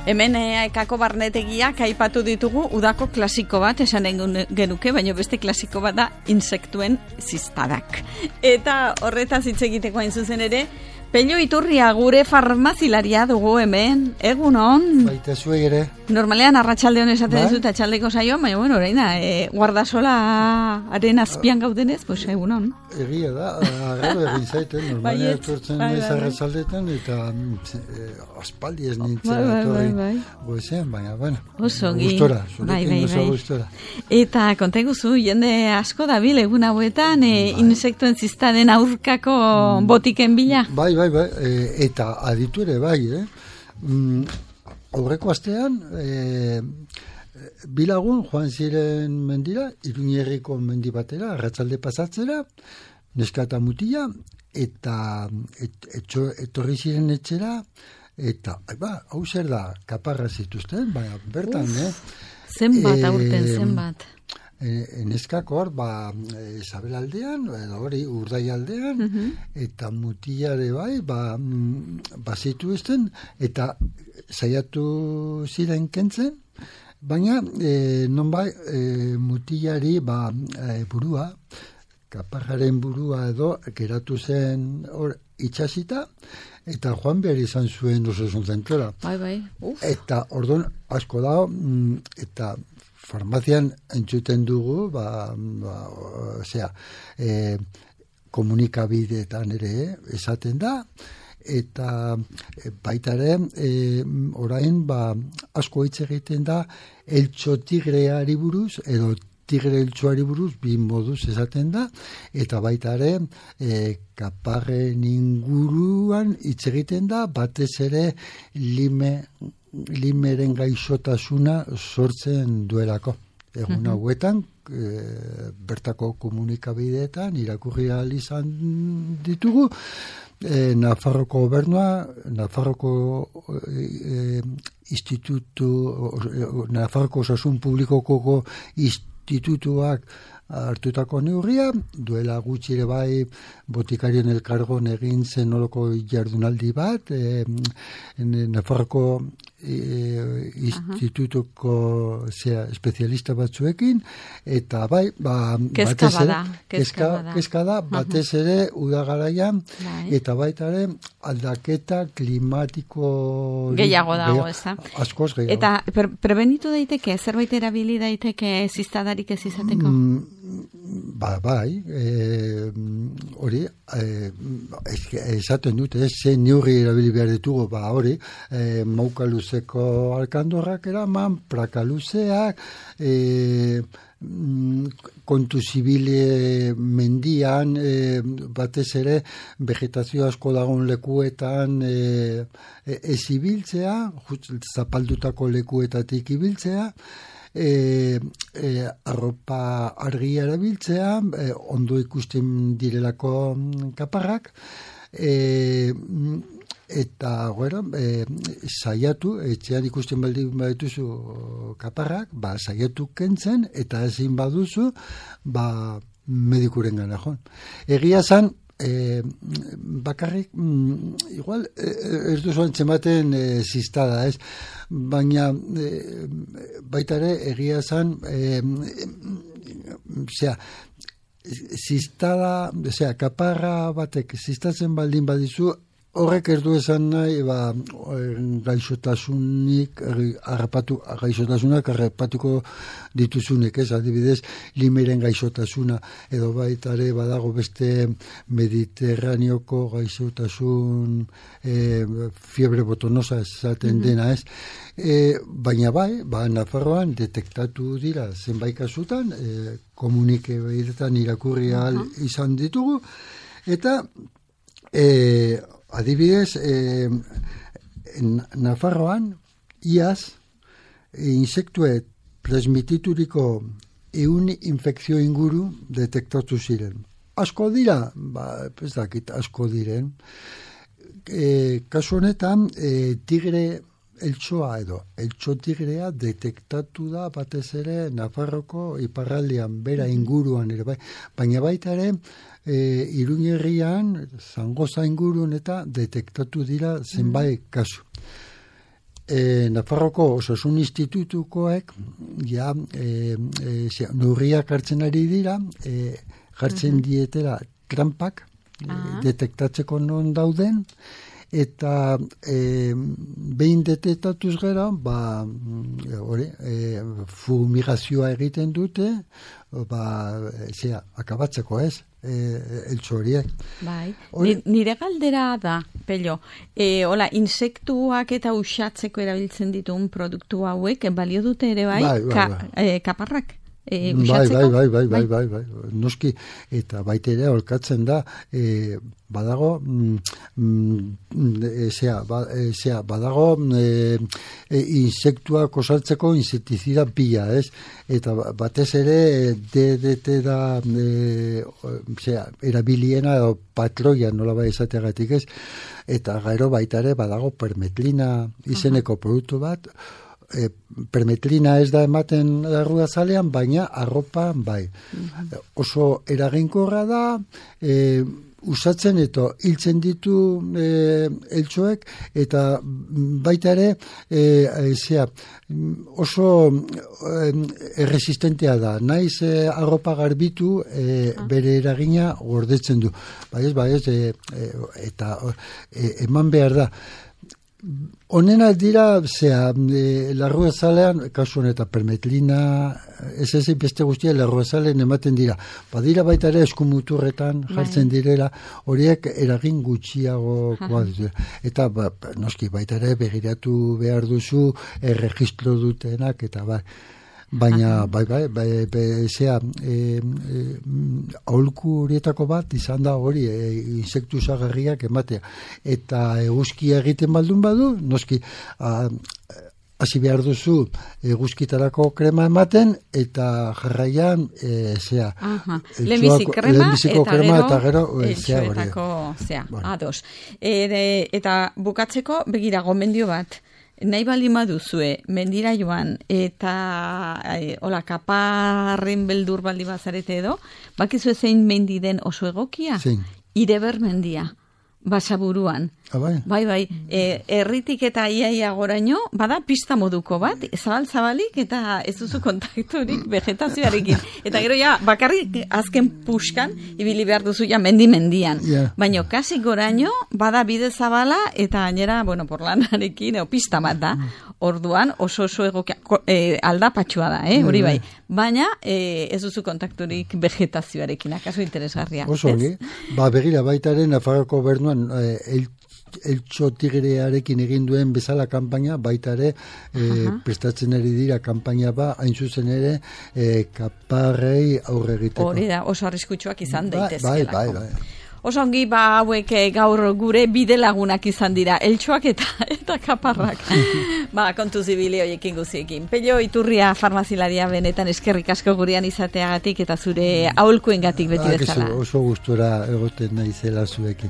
Hemen ekako barnetegiak aipatu ditugu udako klasiko bat esan genuke, baina beste klasiko bat da insektuen ziztadak. Eta horretaz hitz egiteko hain zuzen ere, Pello Iturria gure farmazilaria dugu hemen, egunon. Baita zuei ere. Normalean arratsaldeon esaten dizut atxaldeko saioan, baina bueno, orain da, guardasolaren azpian gaudenez, pues egunon. Egia da, agarro egin zaiten, normalean etortzen naiz arratsaldetan eta aspaldi ez nintzen etorri goizean, baina, bueno, gustora, zurekin oso gustora. Eta kontaiguzu, jende asko dabil egun hauetan, insektuen ziztaden aurkako botiken bila? Bai, eta aditu ere bai, aurreko astean, bilagun joan ziren mendira, Iruñerriko mendi batera, arratsalde pasatzera, neska eta mutila, eta etorri ziren etxera, eta, hau zer da, kaparra zituzten, baina bertan, Zenbat aurten, zenbat? Neskak hor, Isabel aldean, hori Urdai aldean, eta mutilare bai, zituzten, eta saiatu ziren kentzen, baina nonbai mutilari burua, kaparraren burua edo, geratu zen hor itxasita, eta joan behar izan zuen osasun zentrora. Bai. Eta orduan asko dago, eta farmazian entzuten dugu, komunikabideetan ere esaten da, eta baitare orain asko hitz egiten da eltxo tigreari buruz, edo tigre eltxoari buruz, bi moduz esaten da, eta baitare kaparren inguruan hitz egiten da, batez ere limeren gaixotasuna sortzen duelako. Egun hauetan, bertako komunikabideetan irakurri ahal izan ditugu, Nafarroko gobernua, Nafarroko Nafarroko osasun publikoko institutuak hartutako neurria, duela gutxi ere bai botikarien elkargon egin zen oloko jardunaldi bat, Nafarroko institutuko espezialista batzuekin, eta bai, kezka da, batez ere udagaraian, eta baita ere aldaketa klimatiko gehiago dago, ez da? Askoz gehiago. Eta prebenitu daiteke, zerbait erabili daiteke ziztadarik ez izateko? Bai, hori, esaten dute, ze neurri erabili behar ditugu, hori, mauka luzeko alkandorrak eraman, praka luzeak, kontu zibile mendian, batez ere, vegetazio asko dagoen lekuetan ez ibiltzea, zapaldutako lekuetatik ibiltzea, arropa argia erabiltzea, ondo ikusten direlako kaparrak, eta saiatu, etxean ikusten baldin badituzu kaparrak, saiatu kentzen, eta ezin baduzu, medikuren gana joan. Egia zan, bakarrik, igual, ez duzu antzematen ziztada, ez? Baina, baitare, egia zan, ziztada, kaparra batek, ziztatzen baldin badizu, horrek ez du esan nahi, gaixotasunak harrapatuko dituzunek, ez, adibidez, limeren gaixotasuna, edo baitare badago beste mediterraneoko gaixotasun fiebre botonosa esaten dena, ez. Baina bai, Nafarroan detektatu dira zenbait kasutan, komunikabideetan irakurri ahal izan ditugu, eta adibidez, Nafarroan, iaz, insektue transmitituriko 100 infekzio inguru detektatu ziren. Asko dira? Ez dakit, asko diren. Kasu honetan, tigre eltsoa edo eltso tigrea detektatu da batez ere Nafarroko iparraldean, bera inguruan ere bai. Baina baita ere, Iruñerrian, Zangoza ingurun eta detektatu dira zenbait kasu. Nafarroko Osasun Institutukoek ja neurriak hartzen ari dira, jartzen dietera trampak, detektatzeko non dauden, eta behin detektatuz gero, fumigazioa egiten dute, akabatzeko ez, eltsu horiek. Bai, nire galdera da, Pello, insektuak eta uxatzeko erabiltzen dituen produktu hauek, balio dute ere kaparrak? Bai, noski, eta baita ere olkatzen da, badago badago insektuak osaltzeko insektizida pila, ez? Eta batez ere DDT da erabiliena edo patroia nola bai esateagatik, ez? Eta gero baita ere badago permetlina izeneko produktu bat, permetlina ez da ematen larruazalean, baina arropan bai. Oso eraginkorra da, usatzen eta hiltzen ditu eltsoek, eta baita ere oso erresistentea da. Naiz arropa garbitu bere eragina gordetzen du. Eta eman behar da. Honena dira, larruazalean, kasu honetan permetlina, ez beste guztia larruazalean ematen dira. Badira baita ere eskumuturretan jartzen direla, horiek eragin gutxiago. Eta noski baita ere begiratu behar duzu, erregistro dutenak, eta baina aholku horietako bat izan da hori insektu zagarriak ematea, eta eguzkia egiten baldun badu, noski hasi behar duzu eguzkitarako krema ematen, eta jarraian lehenbiziko krema eta gero eltsuetako ados. Eta bukatzeko begira gomendio bat, nahi balima duzue, mendira joan, eta kaparren beldur baldi bazarete edo, bakizu zein mendi den oso egokia? Ireber mendia, Basaburuan. Bai, erritik eta iaia goraino, bada pista moduko bat, zabalik eta ez duzu kontakturik vegetazioarekin. Eta gero bakarrik azken puskan, ibili behar duzu mendian. Baina kasi goraino, bada bide zabala, eta gainera, porlanarekin, pista bat da. Orduan, oso egokia, aldapatxua da, hori bai. Baina, ez duzu kontakturik vegetazioarekin, akaso interesgarria. Oso ongi, begira baitaren Nafarroko Gobernuan, eltso tigrearekin egin duen bezala kanpaina, baita ere prestatzen ari dira kanpaina hain zuzen ere kaparrei aurre egiteko. Hori da, oso arriskutsuak izan daitezkelako. Bai. Oso ongi, hauek gaur gure bidelagunak izan dira, eltsoak eta kaparrak. Kontu zibili horiekin guziekin. Pello Iturria farmazilaria benetan eskerrik asko gurean izateagatik eta zure aholkuengatik beti bezala. Oso gustura egoten naizela zuekin.